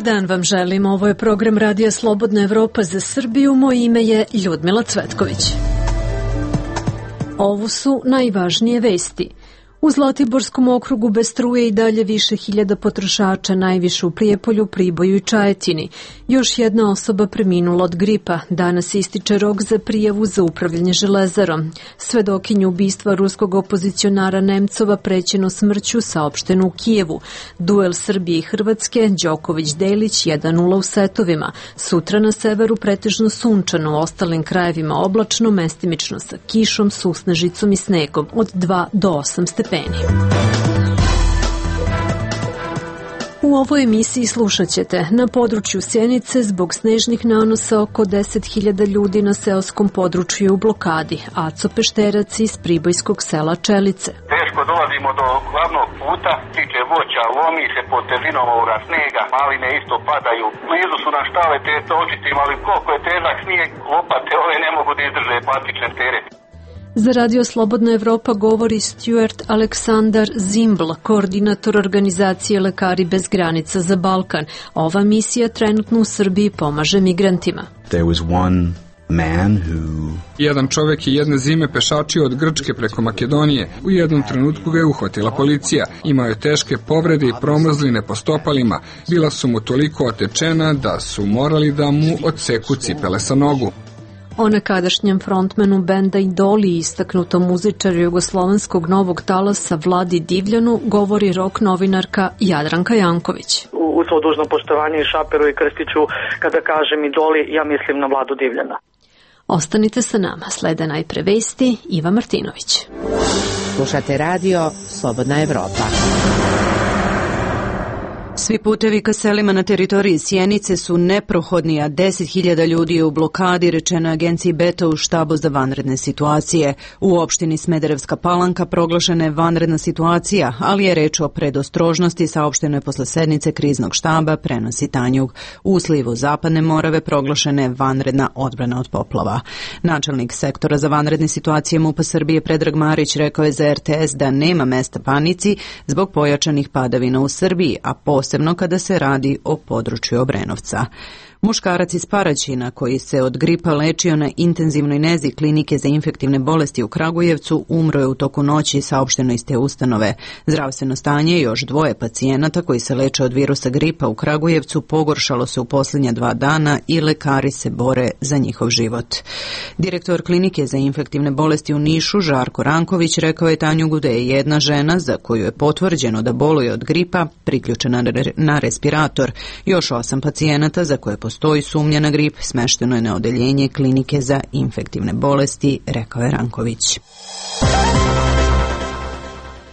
dan vam želim. Ovo je program Radija Slobodna Evropa za Srbiju. Moje ime je Ljudmila Cvetković. Ovo su najvažnije vesti. U Zlatiborskom okrugu bez struje i dalje više hiljada potrošača, najviše u Prijepolju, Priboju i Čajetini. Još jedna osoba preminula od gripa. Danas ističe rok za prijavu za upravljanje Železarom. Svedokinju ubistva ruskog opozicionara Nemcova prećeno smrću saopšteno u Kijevu. Duel Srbije i Hrvatske, Đoković-Delić 1:0 u setovima. Sutra na severu pretežno sunčano, u ostalim krajevima oblačno, mestimično sa kišom, susnežicom i snegom od 2 do 8 stepeni. U ovoj emisiji slušat ćete: na području Sjenice zbog snežnih nanosa oko 10.000 ljudi na seoskom području je u blokadi. Aco Pešterac iz pribojskog sela Čelice. Teško dolazimo do glavnog puta, tiče voća, lomi se pod težinom ovoga snega, maline isto padaju. Blizu su nam štale te točitim, ali koliko je težak snijeg, lopate ove ne mogu da izdrže plastične teret. Za Radio Slobodna Evropa govori Stuart Aleksandar Zimbl, koordinator organizacije Lekari bez granica za Balkan. Ova misija trenutno u Srbiji pomaže migrantima. Jedan čovjek je jedne zime pešačio od Grčke preko Makedonije. U jednom trenutku ga je uhvatila policija. Imao je teške povrede i promrzline po stopalima. Bila su mu toliko otečena da su morali da mu odseku cipele sa nogu. O nekadašnjem frontmenu benda Idoli i istaknutom muzičaru jugoslovenskog novog talasa Vladi Divljanu govori rock novinarka Jadranka Janković. U svo dužno poštovanje i Šaperu i Krstiću, kada kažem Idoli, ja mislim na Vladu Divljana. Ostanite sa nama, slede najpre vesti, Iva Martinović. Slušate radio Slobodna Evropa. Svi putevi ka selima na teritoriji Sjenice su neprohodni, a 10.000 ljudi je u blokadi, rečeno agenciji Beta u štabu za vanredne situacije. U opštini Smederevska Palanka proglašena je vanredna situacija, ali je reč o predostrožnosti, saopšteno je posle sednice kriznog štaba, prenosi Tanjug. U slivu Zapadne Morave proglašena je vanredna odbrana od poplava. Načelnik sektora za vanredne situacije MUP-a Srbije Predrag Marić rekao je za RTS da nema mesta panici zbog pojačanih padavina u Srbiji, a posebno kada se radi o području Obrenovca. Muškarac iz Paraćina koji se od gripa lečio na intenzivnoj nezi Klinike za infektivne bolesti u Kragujevcu umro je u toku noći, saopšteno iz te ustanove. Zdravstveno stanje još 2 pacijenata koji se leče od virusa gripa u Kragujevcu pogoršalo se u posljednja 2 dana i lekari se bore za njihov život. Direktor Klinike za infektivne bolesti u Nišu Žarko Ranković rekao je Tanjugu da je jedna žena za koju je potvrđeno da boluje od gripa priključena na respirator. Još 8 pacijenata za koje postoji sumnja na grip smešteno je na odeljenje Klinike za infektivne bolesti, rekao je Ranković.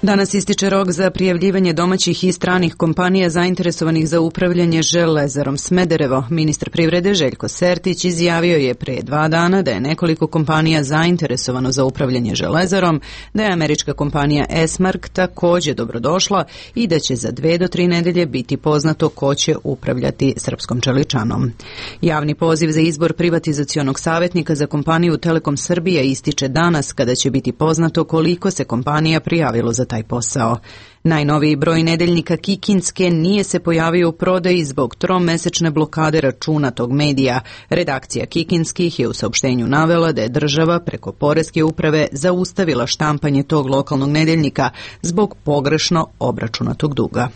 Danas ističe rok za prijavljivanje domaćih i stranih kompanija zainteresovanih za upravljanje Železarom Smederevo. Ministar privrede Željko Sertić izjavio je pre 2 dana da je nekoliko kompanija zainteresovano za upravljanje Železarom, da je američka kompanija Esmark također dobrodošla i da će za 2 do 3 nedelje biti poznato ko će upravljati srpskom čeličanom. Javni poziv za izbor privatizacionog savjetnika za kompaniju Telekom Srbija ističe danas, kada će biti poznato koliko se kompanija prijavilo za taj posao. Najnoviji broj nedeljnika Kikinske nije se pojavio u prodaji zbog 3-mesečne blokade računa tog medija. Redakcija Kikinskih je u saopštenju navela da je država preko Poreske uprave zaustavila štampanje tog lokalnog nedeljnika zbog pogrešno obračunatog duga.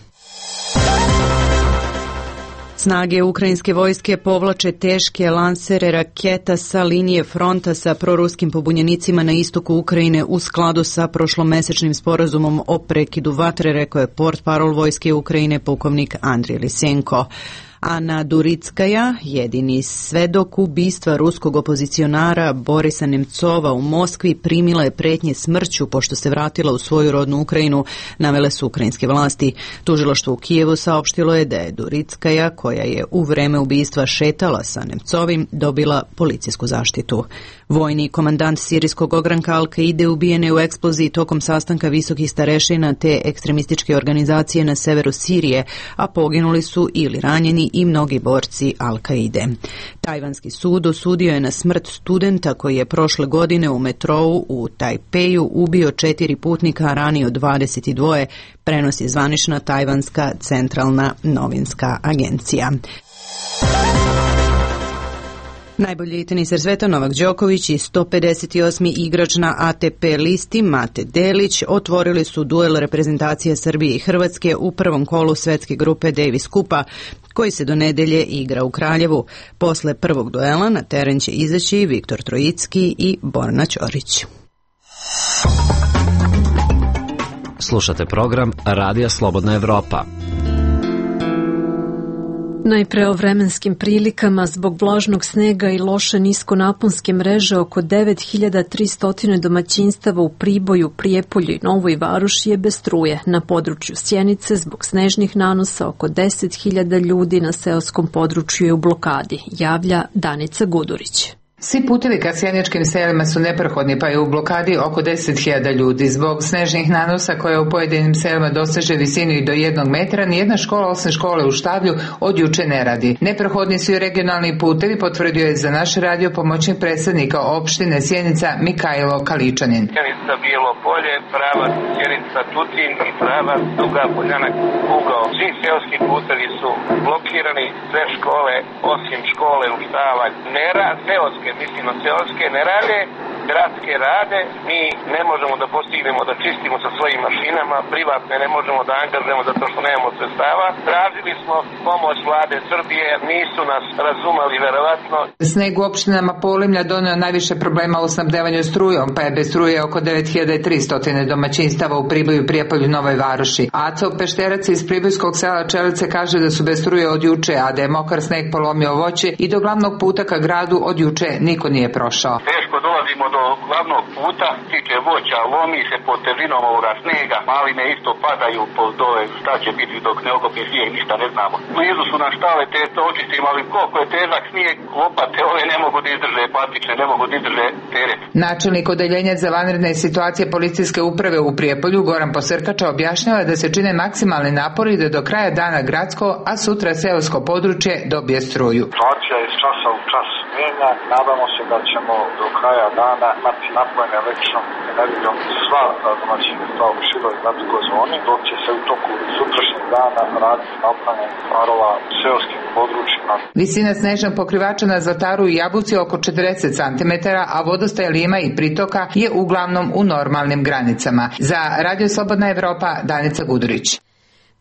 Snage ukrajinske vojske povlače teške lansere raketa sa linije fronta sa proruskim pobunjenicima na istoku Ukrajine u skladu sa prošlomesečnim sporazumom o prekidu vatre, rekao je portparol vojske Ukrajine pukovnik Andrij Lisenko. Ana Duritskaja, jedini svedok ubistva ruskog opozicionara Borisa Nemcova u Moskvi, primila je pretnje smrću pošto se vratila u svoju rodnu Ukrajinu, navele su ukrajinske vlasti. Tužilaštvo u Kijevu saopštilo je da je Duritskaja, koja je u vreme ubistva šetala sa Nemcovim, dobila policijsku zaštitu. Vojni komandant sirijskog ogranka Al-Kaide ubijen je u eksploziji tokom sastanka visokih starešina te ekstremističke organizacije na severu Sirije, a poginuli su ili ranjeni i mnogi borci Al-Kaide. Tajvanski sud osudio je na smrt studenta koji je prošle godine u metrou u Tajpeju ubio 4 putnika, a ranio 22, prenosi zvanična tajvanska centralna novinska agencija. Najbolji teniser sveta Novak Đoković i 158. igrač na ATP listi Mate Delić otvorili su duel reprezentacije Srbije i Hrvatske u prvom kolu svetske grupe Davis Kupa, koji se do nedelje igra u Kraljevu. Posle prvog duela na teren će izaći Viktor Trojicki i Borna Ćorić. Slušate program Radija Slobodna Evropa. Najpre o vremenskim prilikama. Zbog vlažnog snega i loše niskonaponske mreže oko 9300 domaćinstava u Priboju, Prijepolju i Novoj Varoši je bez struje. Na području Sjenice zbog snežnih nanosa oko 10.000 ljudi na seoskom području je u blokadi, javlja Danica Gudurić. Svi putevi ka sjeničkim selima su neprohodni, pa je u blokadi oko 10.000 ljudi. Zbog snežnih nanosa koje u pojedinim selima doseže visinu i do 1 metra, nijedna škola osim škole u Štavlju od juče ne radi. Neprohodni su i regionalni putevi, potvrdio je za naš radio pomoćnik predsjednika opštine Sjenica Mikajlo Kaličanin. Sjenica Bijelo Polje, pravac Sjenica Tutin i pravac Duga Poljana ugao. Svi seoski putevi su blokirani, sve škole osim škole u Štavalj seoske, mislim na seoske ne rade, gradske rade, mi ne možemo da postignemo da čistimo sa svojim mašinama, privatne ne možemo da angažujemo zato što nemamo sredstava. Tražili smo pomoć vlade Srbije, nisu nas razumeli verovatno. Sneg u opštinama Polimlja doneo najviše problema u snabdevanju strujom, pa je bez struje oko 9300 domaćinstava u Priboju, Prijepolju, Novoj Varoši. Aco Pešterac iz pribojskog sela Čelice kaže da su bez struje od juče, a da je mokar sneg polomio voće i do glavnog puta ka gradu od juče niko nije prošao. Teško dolazimo do glavnog puta, tiče voća, lomi se pod težinom ovoga snega, maline isto padaju pod dole, šta će biti dok ne okopje snijeg, ništa ne znamo. Blizu su nam štale, te to očistimo, ali koliko je težak snijeg, lopate ove ne mogu da izdrže, patične ne mogu da izdrže teret. Načelnik odeljenja za vanredne situacije policijske uprave u Prijepolju Goran Posrkača objašnjava da se čine maksimalni napori da do kraja dana gradsko, a sutra seosko područje dobije struju. Situacija iz časa u čas mijenja. Nadamo se da ćemo do kraja dana imati napojene električnom energijom sva domaćinstva u široj gradskoj zoni, dok će se u toku sutrašnjeg dana raditi napojene parova u seoskim područjima. Visina snežnog pokrivača na Zlataru i Jabuci oko 40 cm, a vodostaj Lima i pritoka je uglavnom u normalnim granicama. Za Radio Slobodna Evropa, Danica Gudurić.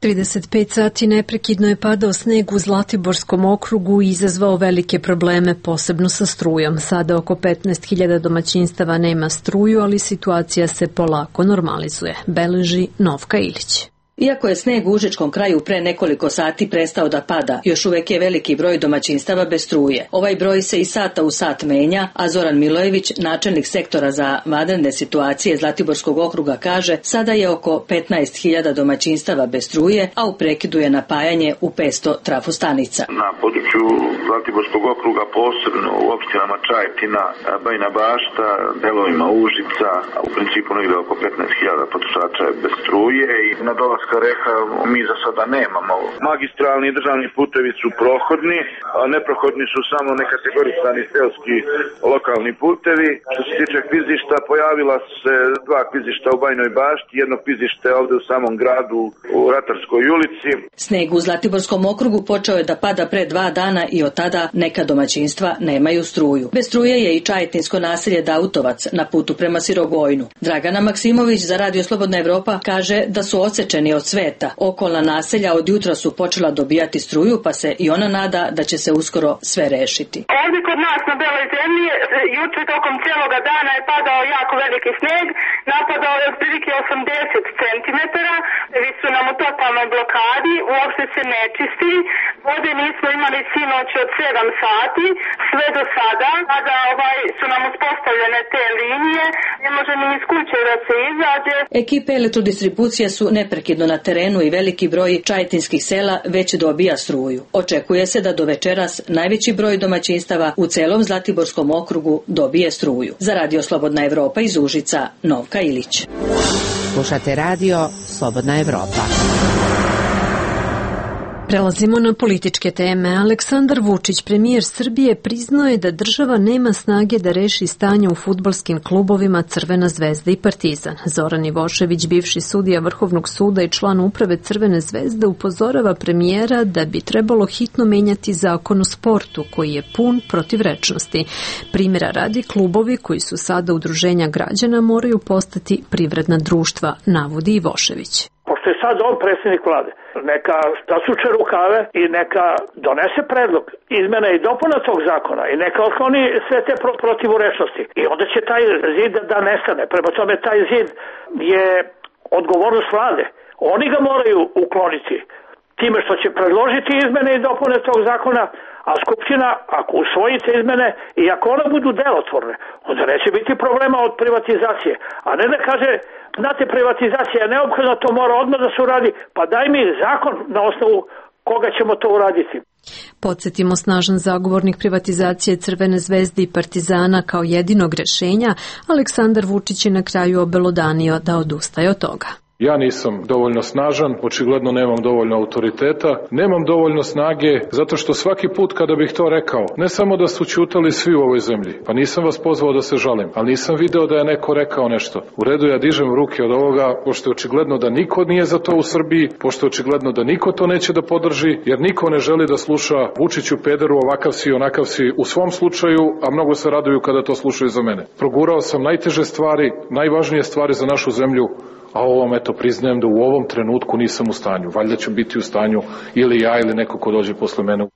35 sati neprekidno je padao sneg u Zlatiborskom okrugu i izazvao velike probleme, posebno sa strujom. Sada oko 15.000 domaćinstava nema struju, ali situacija se polako normalizuje, beleži Novka Ilić. Iako je sneg u užičkom kraju pre nekoliko sati prestao da pada, još uvek je veliki broj domaćinstava bez struje. Ovaj broj se iz sata u sat menja, a Zoran Milojević, načelnik sektora za vanredne situacije Zlatiborskog okruga, kaže sada je oko 15.000 domaćinstava bez struje, a u prekidu je napajanje u 500 trafostanica. Na području Zlatiborskog okruga, posebno u opštinama Čajetina, Bajina Bašta, delovima Užica, u principu negde oko 15.000 potrošača je bez struje i na dolaska Reha mi za sada nemamo. Magistralni i državni putevi su prohodni, a neprohodni su samo nekategorisani seoski lokalni putevi. Što se tiče klizišta, pojavila se 2 klizišta u Bajnoj Bašti, jedno klizište ovde u samom gradu u Ratarskoj ulici. Sneg u Zlatiborskom okrugu počeo je da pada pre 2 dana i od tada neka domaćinstva nemaju struju. Bez struje je i čajetinsko naselje Dautovac na putu prema Sirogojnu. Dragana Maksimović za Radio Slobodna Evropa kaže da su odsečeni od sveta. Okolna naselja od jutra su počela dobijati struju, pa se i ona nada da će se uskoro sve rešiti. Ovdje kod nas na Beloj zemlji juče tokom cijeloga dana je padao jako veliki sneg, napadao je otprilike 80 cm, vi su nam u totalnoj blokadi, uopšte se ne čisti, Vode nismo imali sinoć od 7 sati, sve do sada, kada su nam uspostavljene te linije, ne može ni iz kuće da se izađe. Ekipe elektrodistribucije su neprekidno na terenu i veliki broj čajetinskih sela već dobija struju. Očekuje se da do večeras najveći broj domaćinstava u celom Zlatiborskom okrugu dobije struju. Za Radio Slobodna Evropa iz Užica, Novka Ilić. Slušate Radio Slobodna Evropa. Prelazimo na političke teme. Aleksandar Vučić, premijer Srbije, priznao je da država nema snage da reši stanje u fudbalskim klubovima Crvena zvezda i Partizan. Zoran Ivošević, bivši sudija Vrhovnog suda i član uprave Crvene zvezde, upozorava premijera da bi trebalo hitno menjati zakon o sportu koji je pun protivrečnosti. Primjera radi, klubovi koji su sada udruženja građana moraju postati privredna društva, navodi Ivošević. Pošto je sad on predsjednik vlade, neka zasuče rukave i neka donese predlog izmena i dopuna tog zakona i neka otkloni sve te protivrečnosti. I onda će taj zid da nestane. Prema tome, taj zid je odgovornost vlade. Oni ga moraju ukloniti time što će predložiti izmene i dopune tog zakona, a Skupština, ako usvoji te izmene i ako one budu delotvorne, onda neće biti problema od privatizacije. A ne da kaže, znate, privatizacija je neophodna, to mora odmah da se uradi, pa daj mi zakon na osnovu koga ćemo to uraditi. Podsjetimo, snažan zagovornik privatizacije Crvene zvezde i Partizana kao jedinog rešenja, Aleksandar Vučić je na kraju obelodanio da odustaje od toga. Ja nisam dovoljno snažan, očigledno nemam dovoljno autoriteta, nemam dovoljno snage, zato što svaki put kada bih to rekao, ne samo da su ćutali svi u ovoj zemlji, pa nisam vas pozvao da se žalim, ali nisam video da je neko rekao nešto. U redu, ja dižem ruke od ovoga, pošto je očigledno da niko nije za to u Srbiji, pošto je očigledno da niko to neće da podrži, jer niko ne želi da sluša Vučiću pederu, ovakav si, onakav si u svom slučaju, a mnogo se raduju kada to slušaju za mene. Progurao sam najteže stvari, najvažnije stvari za našu zemlju, a ovom, eto, priznajem da u ovom trenutku nisam u stanju. Valjda ću biti u stanju ili ja ili neko ko dođe posle mene.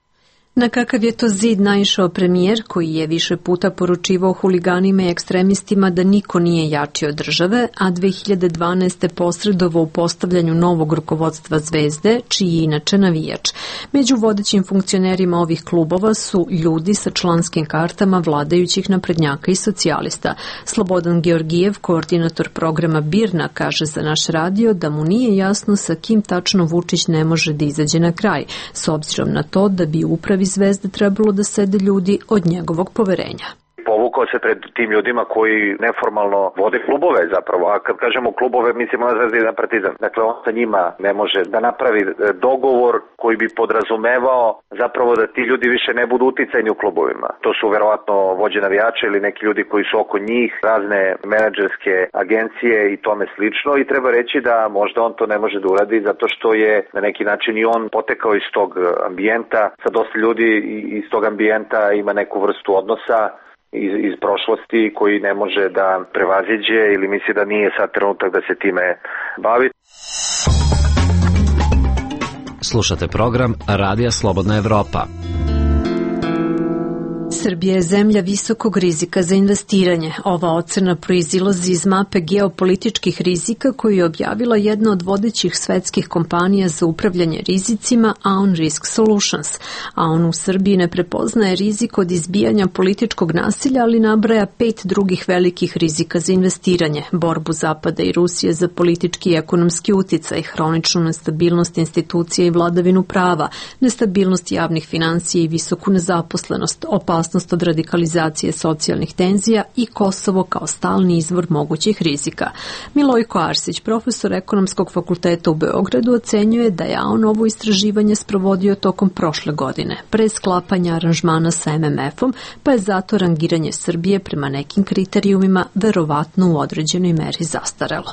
Na kakav je to zid naišao premijer, koji je više puta poručivao huliganima i ekstremistima da niko nije jači od države, a 2012. posredovao u postavljanju novog rukovodstva Zvezde, čiji je inače navijač. Među vodećim funkcionerima ovih klubova su ljudi sa članskim kartama vladajućih naprednjaka i socijalista. Slobodan Georgijev, koordinator programa Birna, kaže za naš radio da mu nije jasno sa kim tačno Vučić ne može da izađe na kraj, s obzirom na to da bi upravi Zvezde trebalo da sede ljudi od njegovog poverenja. Povukao se pred tim ljudima koji neformalno vode klubove zapravo, a kad kažemo klubove mislimo na Zvezdu i na Partizan. Dakle, on sa njima ne može da napravi dogovor koji bi podrazumevao zapravo da ti ljudi više ne budu uticajni u klubovima. To su verovatno vođe navijača ili neki ljudi koji su oko njih, razne menadžerske agencije i tome slično, i treba reći da možda on to ne može da uradi zato što je na neki način i on potekao iz tog ambijenta, sa dosta ljudi iz tog ambijenta ima neku vrstu odnosa iz prošlosti koji ne može da prevaziđe ili misli da nije sad trenutak da se time bavi. Slušate program Radija Slobodna Evropa. Srbija je zemlja visokog rizika za investiranje. Ova ocena proizilazi iz mape geopolitičkih rizika koju je objavila jedna od vodećih svetskih kompanija za upravljanje rizicima, Aon Risk Solutions. Aon u Srbiji ne prepoznaje rizik od izbijanja političkog nasilja, ali nabraja 5 drugih velikih rizika za investiranje: borbu Zapada i Rusije za politički i ekonomski uticaj, hroničnu nestabilnost institucija i vladavinu prava, nestabilnost javnih finansija i visoku nezaposlenost, opasnost od radikalizacije socijalnih tenzija i Kosovo kao stalni izvor mogućih rizika. Milojko Arsić, profesor Ekonomskog fakulteta u Beogradu, ocenjuje da je Aon ovo istraživanje sprovodio tokom prošle godine, pre sklapanja aranžmana sa MMF-om, pa je zato rangiranje Srbije prema nekim kriterijumima verovatno u određenoj meri zastarelo.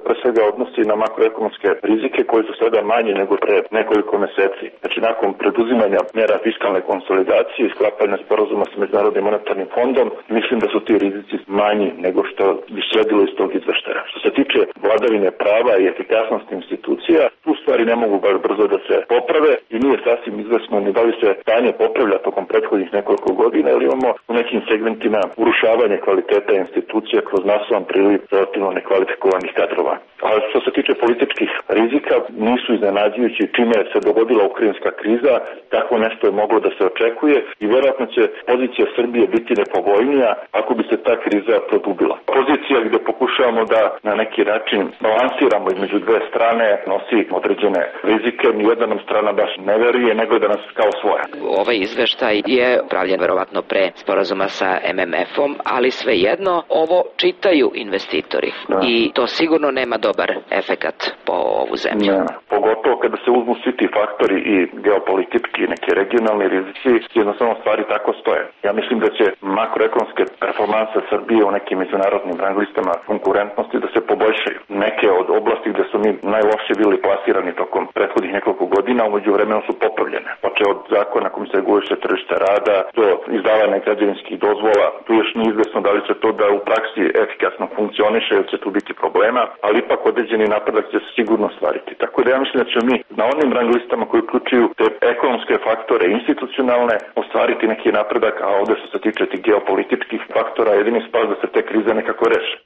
Pre svega odnosi na makroekonomske rizike koji su sada manji nego pre nekoliko meseci. Znači, nakon preduzimanja mera fiskalne konsolidacije i sklapanja sporazuma sa Međunarodnim monetarnim fondom, mislim da su ti rizici manji nego što bi sledilo iz tog izveštaja. Što se tiče vladavine prava i efikasnosti institucija, tu stvari ne mogu baš brzo da se poprave i nije sasvim izvesno ni da li se stanje popravlja tokom prethodnih nekoliko godina, ili imamo u nekim segmentima urušavanje kvaliteta institucija kroz masovan priliv relativno nekvalifikovanih kadrova. A što se tiče političkih rizika, nisu iznenađujući čime se dogodila ukrajinska kriza, tako nešto je moglo da se očekuje i vjerojatno će pozicija Srbije biti nepovoljnija ako bi se ta kriza produbila. Pozicija gde pokušavamo da na neki način balansiramo između dve strane nosi određene rizike, nijedna nam strana baš ne veruje, nego da nas kao svoja. Ovaj izveštaj je pravljen verovatno pre sporazuma sa MMF-om, ali svejedno ovo čitaju investitori i to sigurno nema dobar efekat po ovu zemlju. Ne, pogotovo kada se uzmu svi ti faktori i geopolitički i neki regionalni rizici, jednostavno stvari tako stoje. Ja mislim da će makroekonomske performanse Srbije u nekim međunarodnim rang listama konkurentnosti da se poboljšaju. Neke od oblasti gde su mi najlošije bili plasirani tokom prethodnih nekoliko godina, umeđu vremenu su popravljene. Počeo od zakona kojim se reguliše tržište rada do izdavanja građevinskih dozvola. Tu još nije izvesno da li će to da u praksi efikasno funkcioniše ili će tu biti problema, ali ipak određeni napredak će se sigurno stvariti. Tako da ja mislim da ćemo mi na onim rang listama koji uključuju te ekonomske faktore institucionalne ostvariti neki napredak, a ovde što se tiče tih geopolitičkih faktora jedini spas da se te krize nekako reše.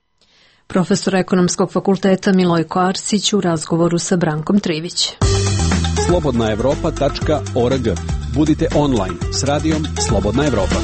Profesor Ekonomskog fakulteta Milojko Arsić u razgovoru sa Brankom Trivić. Slobodnaevropa.org. Budite online s radijom Slobodna Evropa.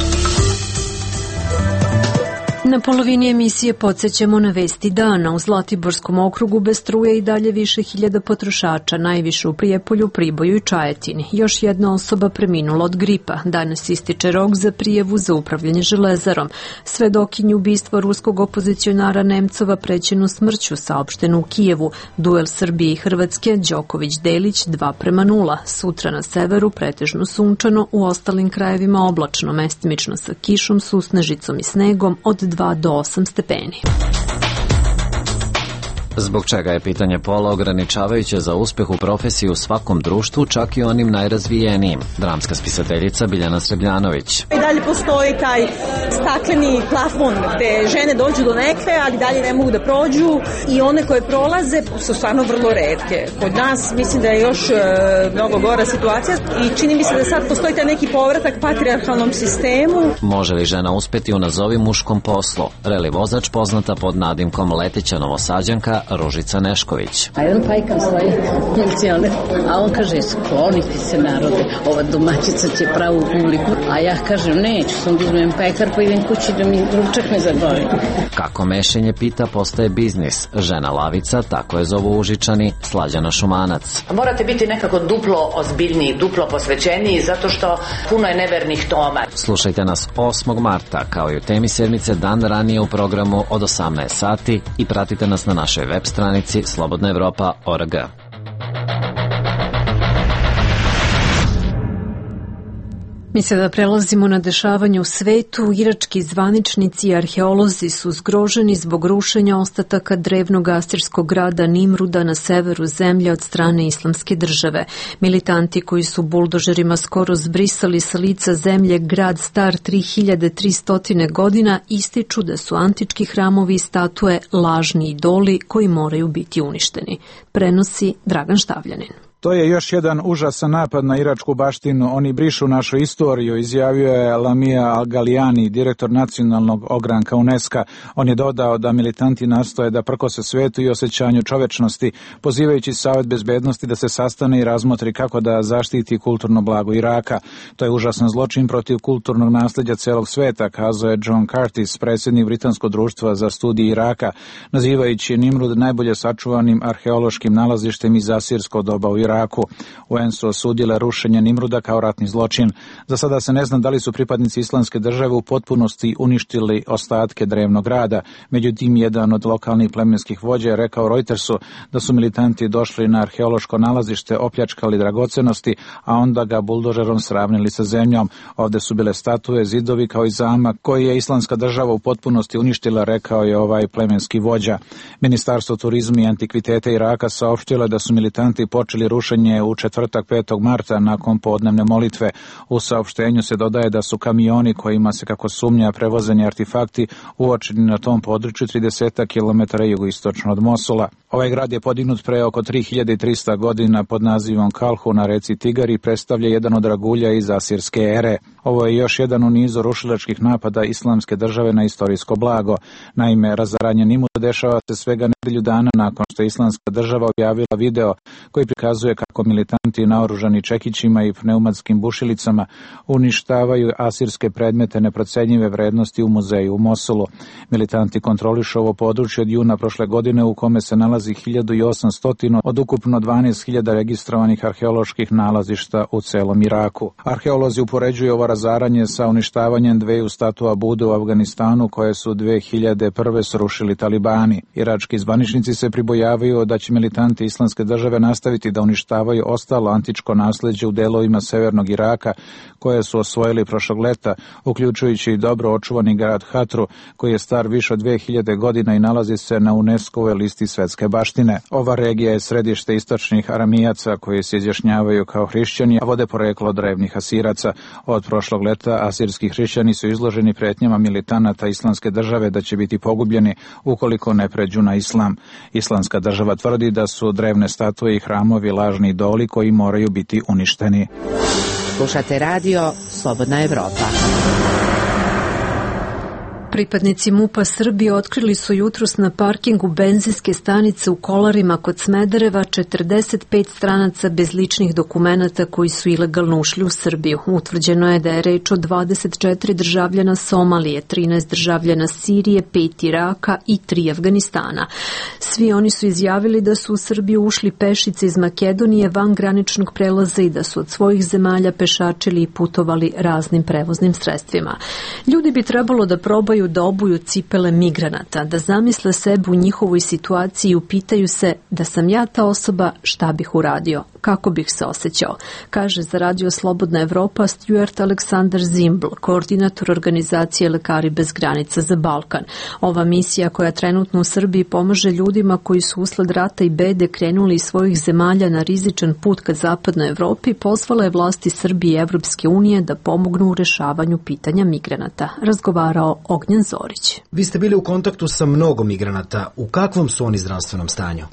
Na polovini emisije podsjećamo na vesti dana. U Zlatiborskom okrugu bez struje i dalje više hiljada potrošača, najviše u Prijepolju, Priboju i Čajetini. Još jedna osoba preminula od gripa. Danas ističe rok za prijavu za upravljanje železarom. Svedokinju ubistva ruskog opozicionara Nemcova prećenu smrću saopšteno u Kijevu. Duel Srbije i Hrvatske, Đoković-Delić 2:0. Sutra na severu pretežno sunčano, u ostalim krajevima oblačno, mestimično sa kišom, susnežicom i snegom od 2 do 8 stepeni. Zbog čega je pitanje pola ograničavajuće za uspeh u profesiji u svakom društvu, čak i onim najrazvijenijim? Dramska spisateljica Biljana Srebljanović. I dalje postoji taj stakleni plafon gde žene dođu do nekve, ali dalje ne mogu da prođu i one koje prolaze su stvarno vrlo retke. Kod nas mislim da je još mnogo gora situacija i čini mi se da sad postoji taj neki povratak patrijarhalnom sistemu. Može li žena uspeti u nazovi muškom poslu? Reli vozač poznata pod nadimkom Leteća Novosađanka Ružica Nešković. A jedan pajkam svoje funkcione, a on kaže skloniti se narode, ova domaćica će pravu publiku, a ja kažem neću, sam da uzmem pekar pa idem kući da mi ručak ne zaborim. Kako mešenje pita postaje biznis. Žena lavica, tako je zovu Užičani, Slađana Šumanac. Morate biti nekako duplo ozbiljniji, duplo posvećeniji, zato što puno je nevernih toma. Slušajte nas 8. marta, kao i u temi sedmice dan ranije u programu od 18 sati i pratite nas na našoj web stranici slobodnaevropa.org. Mi sada prelazimo na dešavanje u svetu. Irački zvaničnici i arheolozi su zgroženi zbog rušenja ostataka drevnog asirskog grada Nimruda na severu zemlje od strane Islamske države. Militanti koji su buldožerima skoro zbrisali sa lica zemlje grad star 3300 godina ističu da su antički hramovi i statue lažni idoli koji moraju biti uništeni. Prenosi Dragan Štavljanin. To je još jedan užasan napad na iračku baštinu. Oni brišu našu istoriju, izjavio je Lamia Al-Galijani, direktor nacionalnog ogranka UNESCO. On je dodao da militanti nastoje da prkose svetu i osjećanju čovečnosti, pozivajući Savet bezbednosti da se sastane i razmotri kako da zaštiti kulturno blago Iraka. To je užasan zločin protiv kulturnog nasljeđa celog sveta, kazao je John Curtis, predsjednik Britanskog društva za studije Iraka, nazivajući Nimrud najbolje sačuvanim arheološkim nalazištem iz asirskog doba u Iraku. UN su osudile rušenje Nimruda kao ratni zločin. Za sada se ne zna da li su pripadnici Islamske države u potpunosti uništili ostatke drevnog grada. Međutim, jedan od lokalnih plemenskih vođa je rekao Reutersu da su militanti došli na arheološko nalazište, opljačkali dragocenosti, a onda ga buldožerom sravnili sa zemljom. Ovde su bile statue, zidovi kao i zamak koji je Islamska država u potpunosti uništila, rekao je ovaj plemenski vođa. Ministarstvo turizma i antikviteta Iraka saopštilo da su militanti počeli rušenje u četvrtak 5. marta nakon podnevne molitve. U saopštenju se dodaje da su kamioni kojima se kako sumnja prevozeni artefakti uočeni na tom području 30 km jugoistočno od Mosula. Ovaj grad je podignut pre oko 3300 godina pod nazivom Kalhu na reci Tigar i predstavlja jedan od dragulja iz asirske ere. Ovo je još jedan u nizu rušilačkih napada Islamske države na istorijsko blago. Naime, razaranje Nimusa dešava se svega nedelju dana nakon što je Islamska država objavila video koji prikazuje kako militanti naoružani čekićima i pneumatskim bušilicama uništavaju asirske predmete neprocenjive vrednosti u muzeju u Mosulu. Militanti kontrolišu ovo područje od juna prošle godine u kome se nalazi 1800 od ukupno 12.000 registrovanih arheoloških nalazišta u celom Iraku. Arheolozi upoređuju ovo razaranje sa uništavanjem dveju statua Bude u Afganistanu koje su 2001. srušili talibani. Irački zvaničnici se pribojavaju da će militanti Islamske države nastaviti da uništavaju ostalo antičko nasleđe u delovima severnog Iraka koje su osvojili prošlog leta, uključujući i dobro očuvani grad Hatru koji je star više od 2000 godina i nalazi se na UNESCO-ovoj listi svetske baštine. Ova regija je središte istočnih Aramijaca koji se izjašnjavaju kao hrišćani, a vode poreklo od drevnih Asiraca. Od prošlog leta asirski hrišćani su izloženi pretnjama militanata Islamske države da će biti pogubljeni ukoliko ne pređu na islam. Islamska država tvrdi da su drevne statue i hramovi lažni idoli koji moraju biti uništeni. Slušate radio Slobodna Evropa. Pripadnici MUP-a Srbije otkrili su jutros na parkingu benzinske stanice u Kolarima kod Smedereva 45 stranaca bez ličnih dokumenata koji su ilegalno ušli u Srbiju. Utvrđeno je da je reč o 24 državljana Somalije, 13 državljana Sirije, 5 Iraka i 3 Afganistana. Svi oni su izjavili da su u Srbiju ušli pešice iz Makedonije van graničnog prelaza i da su od svojih zemalja pešačili i putovali raznim prevoznim sredstvima. Ljudi bi trebalo da probaju da obuju cipele migranata, da zamisle sebe u njihovoj situaciji i upitaju se da sam ja ta osoba, šta bih uradio, kako bih se osjećao, kaže za radio Slobodna Evropa Stuart Aleksandar Zimbl, koordinator organizacije Lekari bez granica za Balkan. Ova misija koja trenutno u Srbiji pomaže ljudima koji su usled rata i bede krenuli iz svojih zemalja na rizičan put ka zapadnoj Evropi, pozvala je vlasti Srbije i Evropske unije da pomognu u rešavanju pitanja migranata. Razgovarao Ognjen Zorić. Vi ste bili u kontaktu sa mnogo migranata. U kakvom su oni zdravstvenom stanju?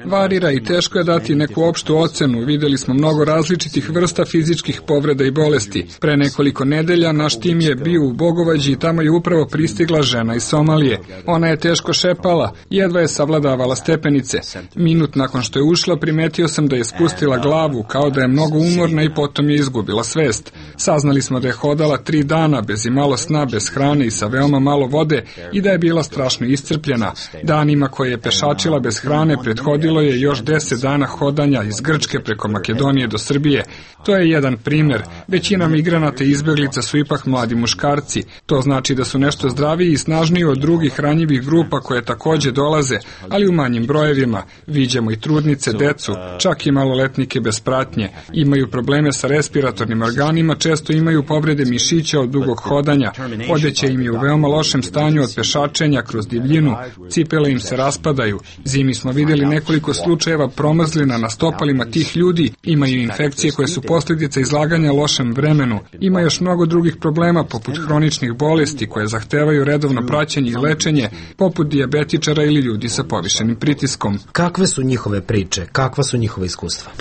Varira i teško je dati neku opštu ocenu. Videli smo mnogo različitih vrsta fizičkih povreda i bolesti. Pre nekoliko nedelja naš tim je bio u Bogovađi i tamo je upravo pristigla žena iz Somalije. Ona je teško šepala, jedva je savladavala stepenice. Minut nakon što je ušla, primetio sam da je spustila glavu, kao da je mnogo umorna i potom je izgubila svest. Saznali smo da je hodala 3 dana bez imalo sna, bez hrane i sa veoma malo vode i da je bila strašno iscrpljena. Danima koje je pešačila bez hrane prethodilo je još 10 dana hodanja iz Grčke preko Makedonije do Srbije. To je jedan primer. Većina migranata i izbeglica su ipak mladi muškarci. To znači da su nešto zdraviji i snažniji od drugih ranjivih grupa koje takođe dolaze, ali u manjim brojevima. Viđamo i trudnice, decu, čak i maloletnike bez pratnje. Imaju probleme sa respiratornim organima, često imaju povrede mišića od dugog hodanja. Odeća im je u veoma lošem stanju od pešačenja kroz divljinu, cipele im se raspadaju. Zimi smo vidjeli nekoliko slučajeva promrzlina na stopalima tih ljudi, imaju infekcije koje su posljedica izlaganja lošem vremenu. Ima još mnogo drugih problema poput hroničnih bolesti koje zahtevaju redovno praćenje i lečenje, poput dijabetičara ili ljudi sa povišenim pritiskom. Kakve su njihove priče? Kakva su njihova iskustva?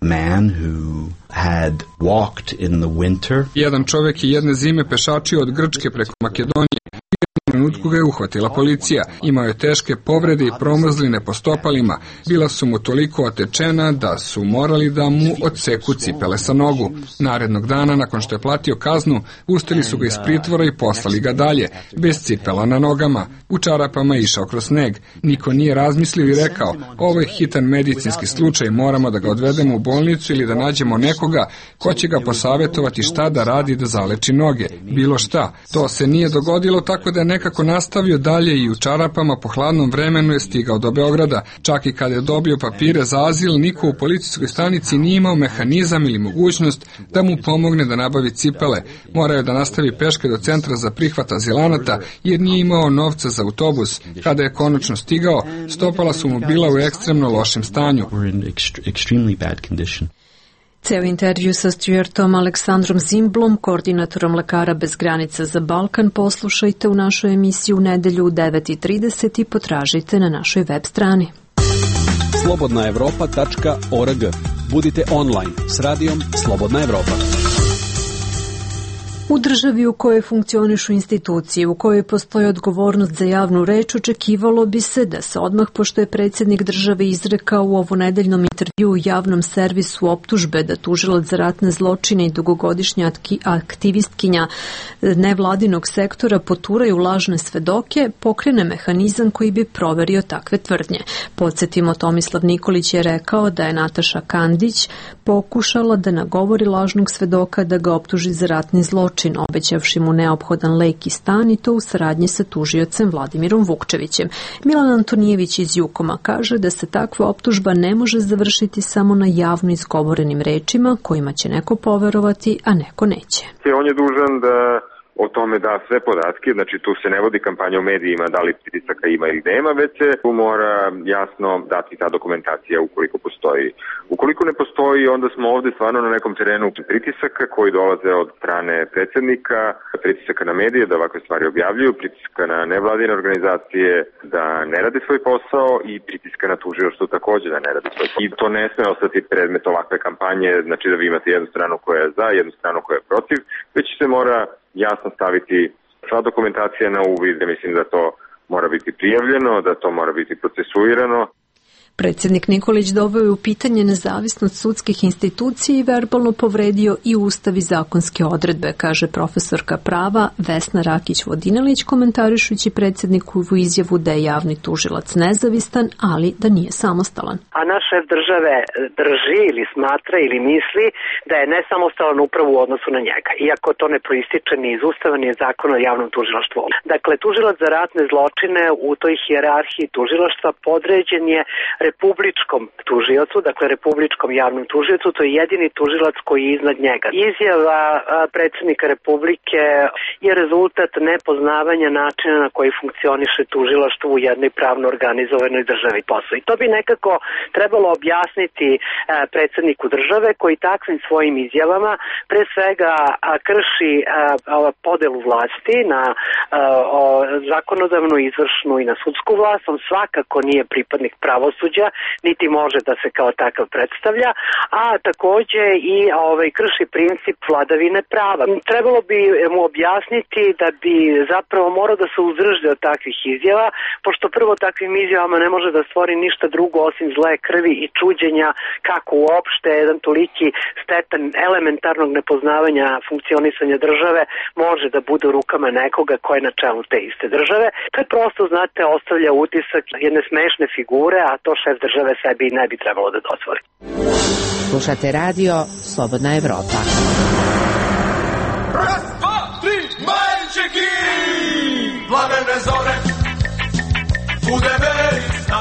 Man who had walked in the winter. Jedan čovjek je jedne zime pešačio od Grčke preko Makedonije. U trenutku ga je uhvatila policija. Imao je teške povrede i promrzline po stopalima. Bila su mu toliko otečena da su morali da mu odseku cipele sa nogu. Narednog dana, nakon što je platio kaznu, pustili su ga iz pritvora i poslali ga dalje, bez cipela na nogama. U čarapama je išao kroz sneg. Niko nije razmislio i rekao, ovo je hitan medicinski slučaj, moramo da ga odvedemo u bolnicu ili da nađemo nekoga ko će ga posavjetovati šta da radi da zaleči noge. Bilo šta. To se nije dogodilo, tako da je nekako nastavio dalje i u čarapama po hladnom vremenu je stigao do Beograda. Čak i kada je dobio papire za azil, niko u policijskoj stanici nije imao mehanizam ili mogućnost da mu pomogne da nabavi cipele. Morao je da nastavi peške do centra za prihvat azilanata jer nije imao novca za autobus. Kada je konačno stigao, stopala su mu bila u ekstremno lošem stanju. Ceo intervju sa Stuartom Aleksandrom Zimblom, koordinatorom Lekara bez granica za Balkan, poslušajte u našoj emisiji u nedelju u 9:30 i potražite na našoj web strani. slobodnaevropa.org Budite online s radijom Slobodna Evropa. U državi u kojoj funkcionišu institucije, u kojoj postoji odgovornost za javnu reč, očekivalo bi se da se odmah, pošto je predsjednik države izrekao u ovonedeljnom intervju u javnom servisu optužbe da tužilac za ratne zločine i dugogodišnja aktivistkinja nevladinog sektora poturaju lažne svedoke, pokrene mehanizam koji bi proverio takve tvrdnje. Podsjetimo, Tomislav Nikolić je rekao da je Nataša Kandić pokušala da nagovori lažnog svedoka da ga optuži za ratni zločin, obećavši mu neophodan lek i stan, i to u saradnji sa tužiocem Vladimirom Vukčevićem. Milan Antonijević iz Jukoma kaže da se takva optužba ne može završiti samo na javno izgovorenim rečima kojima će neko poverovati, a neko neće. On je dužan da o tome da sve podatke, znači tu se ne vodi kampanja u medijima da li pritisaka ima ili nema, već se tu mora jasno dati ta dokumentacija ukoliko postoji. Ukoliko ne postoji, onda smo ovde stvarno na nekom terenu pritisaka koji dolaze od strane predsjednika, pritisaka na medije da ovakve stvari objavljuju, pritisaka na nevladine organizacije da ne rade svoj posao i pritiska na tužilaštvo takođe da ne rade svoj posao. I to ne sme ostati predmet ovakve kampanje, znači da vi imate jednu stranu koja je za, jednu stranu koja je protiv, već se mora jasno staviti sva dokumentacija na uvid. Mislim da to mora biti prijavljeno, da to mora biti procesuirano. Predsjednik Nikolić doveo je u pitanje nezavisnost sudskih institucija i verbalno povredio i ustav i zakonske odredbe, kaže profesorka prava Vesna Rakić-Vodinelić, komentarišući predsjednikovu izjavu da je javni tužilac nezavistan, ali da nije samostalan. A naš šef države drži ili smatra ili misli da je nesamostalan upravo u odnosu na njega, iako to ne proističe ni iz ustava ni iz zakona o javnom tužilaštvu. Dakle, tužilac za ratne zločine u toj hijerarhiji tužilaštva podređen je republičkom tužiocu, dakle republičkom javnom tužiocu, to je jedini tužilac koji je iznad njega. Izjava predsjednika Republike je rezultat nepoznavanja načina na koji funkcioniše tužilaštvo u jednoj pravno organizovanoj državi posla. I to bi nekako trebalo objasniti predsjedniku države koji takvim svojim izjavama pre svega krši podelu vlasti na zakonodavnu, izvršnu i na sudsku vlast. On svakako nije pripadnik pravosuđa, niti može da se kao takav predstavlja, a takođe i krši princip vladavine prava. Trebalo bi mu objasniti da bi zapravo morao da se uzdrži od takvih izjava, pošto prvo takvim izjavama ne može da stvori ništa drugo osim zle krvi i čuđenja kako uopšte jedan toliki stepen elementarnog nepoznavanja funkcionisanja države može da bude u rukama nekoga ko je na čelu te iste države. To je prosto, znate, ostavlja utisak jedne smešne figure, a to šef države sebi ne bi trebalo da dozvoli. Slušate radio Slobodna Evropa. Raz, dva, tri, majčeki! Plamene zore, bude verisna.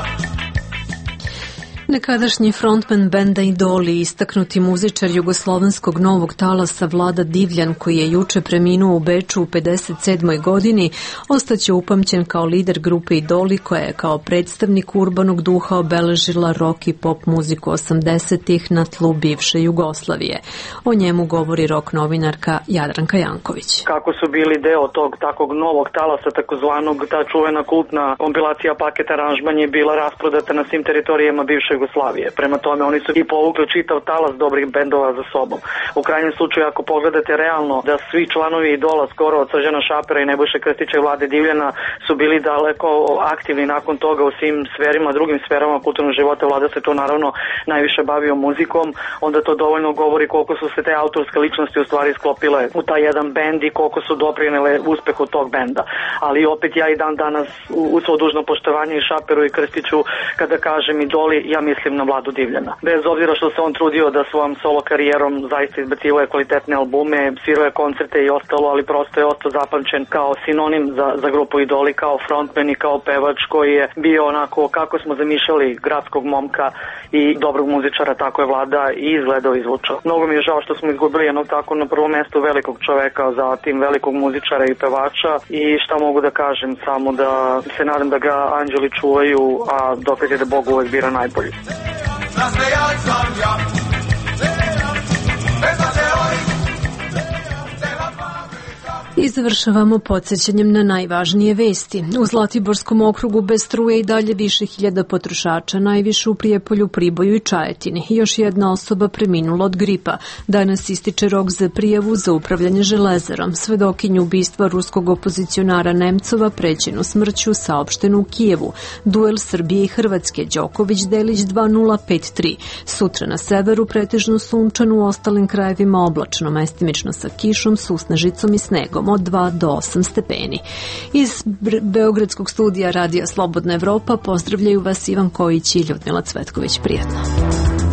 Nekadašnji frontman benda Idoli, istaknuti muzičar jugoslovenskog novog talasa Vlada Divljan, koji je juče preminuo u Beču u 57. godini, ostaće upamćen kao lider grupe Idoli, koja je kao predstavnik urbanog duha obeležila rock i pop muziku 80-ih na tlu bivše Jugoslavije. O njemu govori rock novinarka Jadranka Janković. Kako su bili deo tog takvog novog talasa, takozvanog, ta čuvena kultna kompilacija Paket aranžman je bila rasprodata na svim teritorijama bivše Jugoslavije. Prema tome oni su i povukli čitav talas dobrih bendova za sobom. U krajnjem slučaju, ako pogledate realno da svi članovi Idola, skoro od Srđana Šapera i Nebojše Krstića i Vlade Divljana, su bili daleko aktivni nakon toga u svim sferima, drugim sferama kulturnog života. Vlada se to naravno najviše bavio muzikom, onda to dovoljno govori koliko su se te autorske ličnosti u stvari sklopile u taj jedan bend i koliko su doprinele uspehu tog benda. Ali opet ja i dan danas u svo dužno poštovanje i Šaperu i Krstiću, kada kažem Idoli, ja mislim na Vladu Divljana. Bez obzira što se on trudio da svojom solo karijerom zaista izbacivao kvalitetne albume, svirao je koncerte i ostalo, ali prosto je ostao zapamćen kao sinonim za grupu Idoli, kao frontman i kao pevač koji je bio onako kako smo zamišljali gradskog momka i dobrog muzičara, tako je Vlada i izgledao i zvučao. Mnogo mi je žao što smo izgubili jednog tako na prvom mestu velikog čoveka, zatim velikog muzičara i pevača i šta mogu da kažem, samo da se nadam da ga anđeli čuvaju, a dokaz je da Bog uvek bira najbolji. I završavamo podsjećanjem na najvažnije vesti. U Zlatiborskom okrugu bez struje i dalje više hiljada potrošača, najviše u Prijepolju, Priboju i Čajetini. Još jedna osoba preminula od gripa. Danas ističe rok za prijavu za upravljanje železarom. Svedokinju ubistva ruskog opozicionara Nemcova prećenu smrću saopštenu u Kijevu. Duel Srbije i Hrvatske, Đoković-Delić 2:0-5:3. Sutra na severu pretežno sunčano, u ostalim krajevima oblačno, mestimično sa kišom, susnežicom i snegom od 2 do 8 stepeni. Iz Beogradskog studija Radija Slobodna Evropa pozdravljaju vas Ivan Kojić i Ljudmila Cvetković. Prijatno.